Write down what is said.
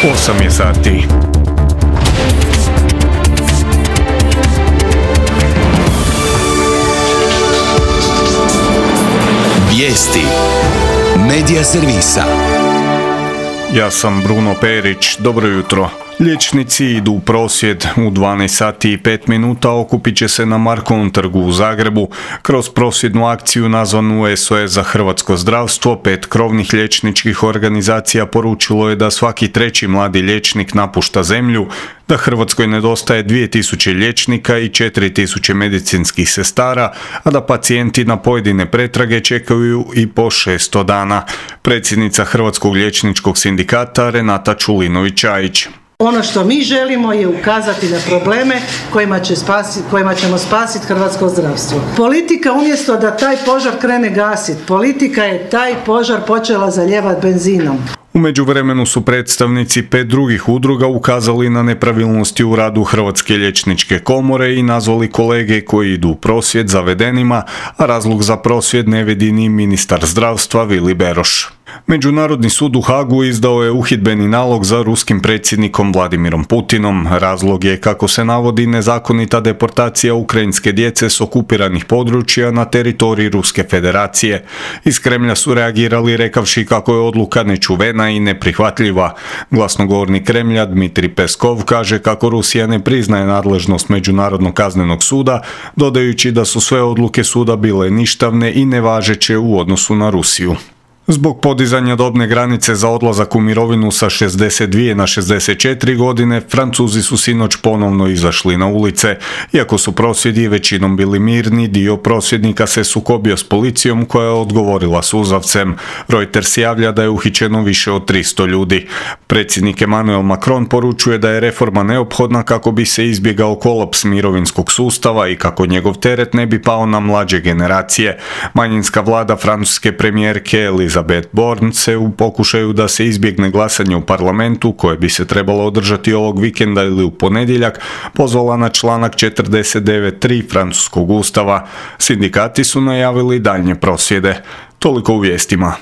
8 je sati. Vijesti Medija servisa. Ja sam Bruno Perić, dobro jutro. Liječnici idu u prosvjed. U 12 sati i 5 minuta okupit će se na Markovom trgu u Zagrebu. Kroz prosvjednu akciju nazvanu SOS za hrvatsko zdravstvo, 5 krovnih liječničkih organizacija poručilo je da svaki treći mladi liječnik napušta zemlju, da Hrvatskoj nedostaje 2000 liječnika i 4000 medicinskih sestara, a da pacijenti na pojedine pretrage čekaju i po 600 dana. Predsjednica Hrvatskog liječničkog sindikata Renata Čulinović-Čajić. Ono što mi želimo je ukazati na probleme kojima ćemo spasiti hrvatsko zdravstvo. Politika umjesto da taj požar krene gasiti, politika je taj požar počela zalijevati benzinom. U međuvremenu su predstavnici 5 drugih udruga ukazali na nepravilnosti u radu Hrvatske liječničke komore i nazvali kolege koji idu u prosvjed zavedenima, a razlog za prosvjed ne vidi ni ministar zdravstva Vili Beroš. Međunarodni sud u Hagu izdao je uhidbeni nalog za ruskim predsjednikom Vladimirom Putinom. Razlog je, kako se navodi, nezakonita deportacija ukrajinske djece s okupiranih područja na teritoriji Ruske federacije. Iz Kremlja su reagirali rekavši kako je odluka nečuvena i neprihvatljiva. Glasnogovornik Kremlja Dmitrij Peskov kaže kako Rusija ne priznaje nadležnost Međunarodnog kaznenog suda, dodajući da su sve odluke suda bile ništavne i nevažeće u odnosu na Rusiju. Zbog podizanja dobne granice za odlazak u mirovinu sa 62 na 64 godine, Francuzi su sinoć ponovno izašli na ulice. Iako su prosvjedi većinom bili mirni, dio prosvjednika se sukobio s policijom koja je odgovorila suzavcem. Reuters javlja da je uhićeno više od 300 ljudi. Predsjednik Emmanuel Macron poručuje da je reforma neophodna kako bi se izbjegao kolaps mirovinskog sustava i kako njegov teret ne bi pao na mlađe generacije. Manjinska vlada francuske premijerke Elizabeth Borne se u pokušaju da se izbjegne glasanje u parlamentu, koje bi se trebalo održati ovog vikenda ili u ponedjeljak, pozvala na članak 49.3 francuskog ustava. Sindikati su najavili daljnje prosvjede. Toliko u vijestima.